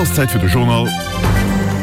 ass Zäit fir de Journal.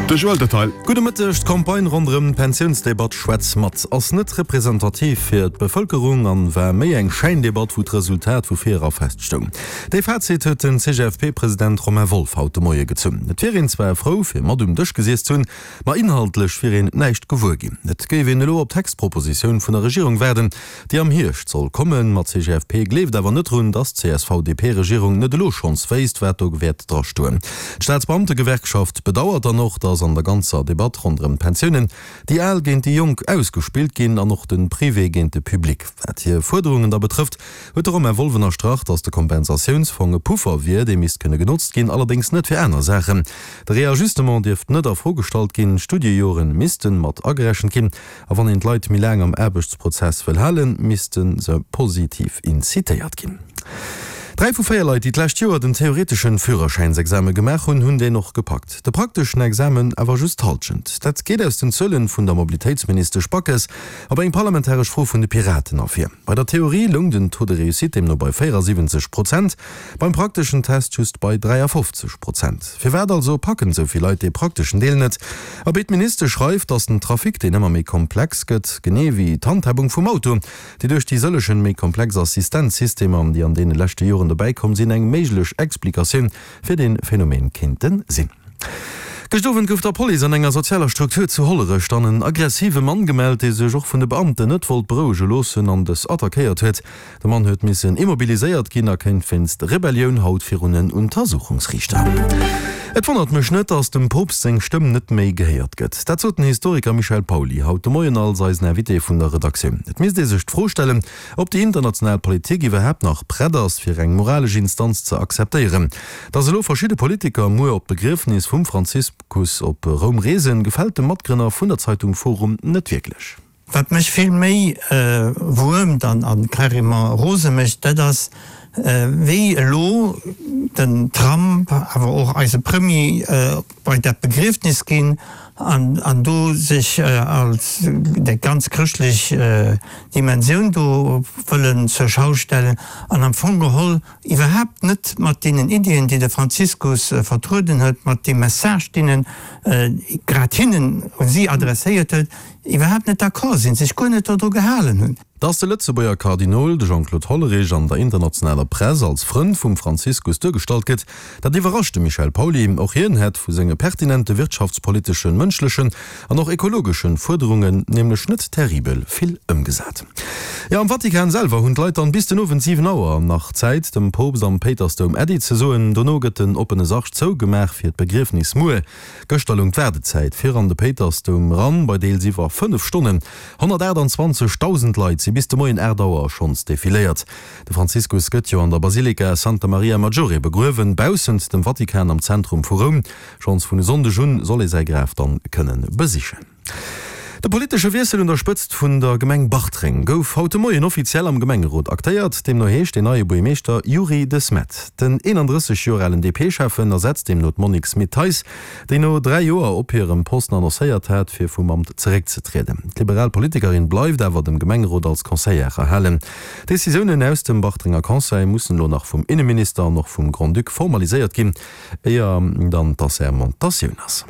De Joël Detail. Gudde Mëtteg, D'Campagne ronderëm d'Pensiounsdebatt Schwätz mat ass net representativ fir d'Bevëlkerung an war méi eng Schäindebatt, wou d'Resultat vu vir era feststoung. Dee Fazit huet den CGFP-President Romain Wolff haut de Moie gezunn. Et wier een zwar frou fir mat um Dësch gesiess ze hunn, ma inhaltlech wier een näischt gewuer ginn. Et géif een elo op d'Textpropositioun vun der Regierung waarden, déi am Hierscht soll kommen. Ma d'CGFP gleeft awer net drun, datt d'CSV-DP-Regierung net elo schonns wéisst, wat do wäert dra stoen. D'Staatsbeamtegewerkschaft bedauert dann och, datt an der ganzer Debatt ronderëm d'Pensiounen déi Al géint déi Jonk ausgespillt ginn an och de Privé géint de Public. Wat hir Fuerderungen da betrëfft, huet de Romain Wolff ënnerstrach, datt de Kompensatiounsfong e Puffer wier, dee misst kënne genotzt ginn, allerdéngs net fir aner Saachen. De Reajustement dierft net a Fro gestallt ginn, d'Studiejoren missten mat agerechent ginn. A wann een d'Leit méi laang am Aarbechtsprozess wëll halen, misste se positiv incitéiert ginn. 3 vu 4 Leit, déi d'lescht Joer den theoreteschen Führerschäinsexame gemaach hunn, hunn deen och gepackt. De prakteschen Examen awer just d'Hallschent. Dat geet aus den Zuelen vun der Mobilitéitsministesch Backes op eng parlamentaresch Fro vun de Piraten ervir. Bei der Theorie loung den Taux de réussite deemno bei 74 Prozent, Beim prakteschen Test just bei 53 Prozent. Firwat also packen esou vill Leit dee prakteschen Deel net? Abee, d'Ministesch schreift, datt den Trafic, deen ëmmer méi komplex gëtt, genee wéi d'Handhabung vum Auto, déi duerch déi sëllechen méi komplex Assistenzsystemer, déi an deene leschte Joren dobäi komm sinn, eng méiglech Explikatioun fir dee Phänomen kéinte sinn. Gëscht Owend gouf der Police an enger sozialer Struktur zu Hollerech dann en aggressive Mann gemellt, dee sech och vun de Beamten net wollt berouege loossen an dës attackéiert huet. De Mann huet missen immobiliséiert ginn a kéint wéinst Rebellioun haut virun en Untersuchungsriichter. Et wonnert mech net, datt dem Poopst seng Stëmm net méi gehéiert gëtt. Dat sot den Historiker Michel Pauly haut de Moien als eisen Invité vun der Redaktioun. Et misst ee sech d'Fro stellen, ob déi international Politik iwwerhaapt nach prett ass, fir eng moralesch Instanz ze akzeptéieren. Datt elo verschidde Politiker muer op d'Begriefnis vum Franziskus op Roum reesen, gefält dem Matgrënner vun der Zeitung Forum net wierklech. Wat mech vill méi wuermt an carrément rose mécht, dat ass, wéi elo den Trump, awer och eise Premier bei dat Begriefnis ginn an do sech als déi ganz chrëschtlech Dimensioun do wëllen zur Schau stellen an am Fong geholl iwwerhaapt net mat deenen Iddien, déi de Franziskus vertrueden huet, mat deem Message, deen en grad hinnen, u si adresséiert huet, iwwerhaapt net d'accord sinn, sech guer net dodru gehalen hunn. Dass de Lëtzebuerger Kardinol, de Jean-Claude Hollerich, an der internationaler Press als Frënd vum Franziskus duergestallt gëtt, dat iwwerrascht de Michel Pauly. Och hien hätt vu senge pertinente wirtschaftspoliteschen, mënschlechen an och ekologeschen Fuerderungen nämlech net terribel vill ëmgesat. Jo, am Vatikan selwer hunn d'Leit dann bis den Owend 7 Auer nach Zäit, dem Poopst am Péitersdoum Äddi ze soen. Dono gëtt den oppene Sarg zougemaach fir d'Begriefnis muer. Gëschter loung d'Waardezäit fir an de Péitersdoum eran bei deels iwwer 5 Stonnen. 128.000 Leit si bis de Moien 8 Auer schonns defiléiert. De Franziskus gëtt jo an der Basilika Santa Maria Maggiore begruewen, baussent dem Vatikan am Zentrum vu Roum. Schonns vun e Sonndeg un soll ee säi Graf dann kënnen besichen. De politesche Wiessel un der Spëtzt vun der Gemeng Bartreng gouf haut de Moien offiziell am Gemengerot aktéiert. Deemno heescht deen neie Buergmeeschter Youri De Smet. Den 31 Joer alen DP-Schäffen ersetzt deemno d'Monique Smit-Thijs, déi no 3 Joer op hirem Posten annoncéiert hat, fir vum Amt zeréckzetrieden. D'liberal Politikerin bleift awer dem Gemengerot als Conseillère erhalen. Decisiounen aus dem Bartrenger Conseil mussen elo nach vum Inneminister an och vum Grand-Duc formaliséiert ginn, éier dann d'Assermentatioun ass.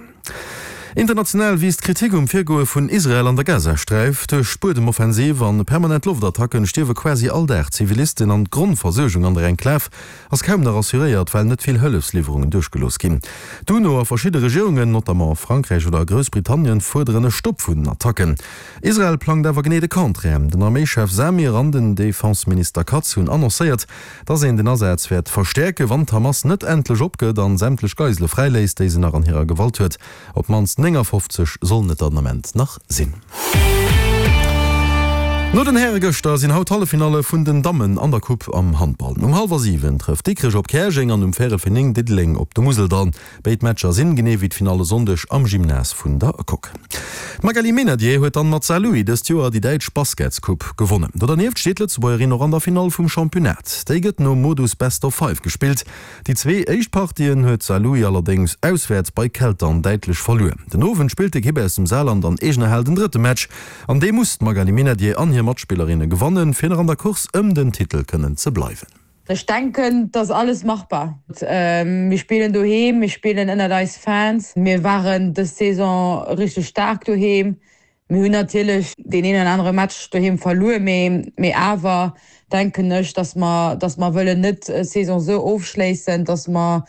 International wiisst d'Kritik um Virgoe vun Israel an der Gazasträif. Duerch d'Buedemoffensiv an permanent Loftattacken stierwe quasi all Dag Zivilisten an d'Grondversuergung an der Enklav ass kaum nach assuréiert, well net vill Hëllefsliwwerungen duerchgelooss ginn. D'UNO a verschidde Regierungen, notamment Frankräich oder Groussbritannien, fuerderen e Stopp vun den Attacken. Israel plangt awer genee de Contraire. Den Arméischef Samir an den Defenseminister Katz hunn annoncéiert, dass een den Asaz wäert verstäerken, wann d'Hamas net endlech opgëtt an sämtlech Geisele fräiléisst, déi se nach an hirer Gewalt huet. Op d'mannst 59 sollen et der den Ament nach sinn. No den Häre gëschter sinn haut d'Halleffinalle vun den Dammen an der Coupe am Handball. Um hallwer 7 trëfft Dikrech op Käerjeng an um véierel fir 9 Diddeleng op de Museldall. Béid Matcher sinn, genee wéi d'Finall e Sonndeg, am Gymnase vun der Coque. D'Magali Meynadier huet dann mat Saarlouis dëst Joer déi däitsch Basketscoupe gewonnen. Do dernieft steet d'Lëtzebuergerin och an der Finall vum Championnat. Déi gëtt nom Modus Best of Five gespillt. Déi zwee éischt Partien huet Saarlouis allerdéngs auswäerts bei Keltern däitlech verluer. Den Owend spillt d'Ekipp aus dem Saarland an eegener Hal den drëtte Match. An dee muss d'Magali Meynadier an hir Matspillerinne gewannen, fir nach an der Course ëm den Titel kënnen ze bleiwen. Ech denken, et ass alles machbar. Mir spillen doheem, mir spillen ënnert eis Fans. Mir waren dës Saison richteg staark doheem. Mir hunn natierlech deen een oder anere Match doheem verluer, mee awer denken ech, datt mer, datt mer wëllen net d'Saison esou ofschléissen, datt mer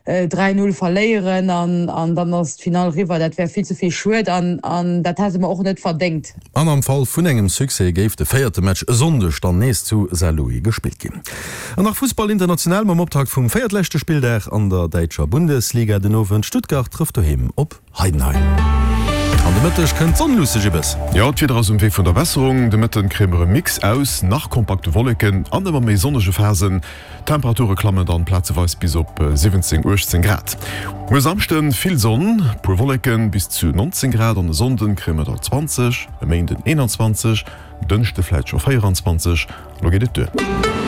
3, 0 verléieren an dann ass d'Finall riwwer. Dat wär vill ze vill schued an dat hätte mer och net verdéngt. An am Fall vun engem Succès géif de véierte Match e Sonndeg dann nees zu Saarlouis gespillt ginn. An nach Fussball international mam Optakt vum véiertleschte Spilldag an der däitscher Bundesliga den Owend. Stuttgart trëfft doheem op Heidenheim. An de Mëtteg kënnt d'Sonn luusse Gibbes. Jo, d'Wieder ass um Wee vun der Besserung. De Mëtten kréie mer e Mix aus nach kompakte Wolleken an ëmmer méi sonnege Phasen. D'Temperature klammen dann plazeweis bis op 17, 18 Grad. Muer Samschden vill Sonn, puer Wolleken, bis zu 19 Grad an e Sonnden kréie mer der 20, e Méinden 21, Dënschde vläit scho 24. Lo geet et duer.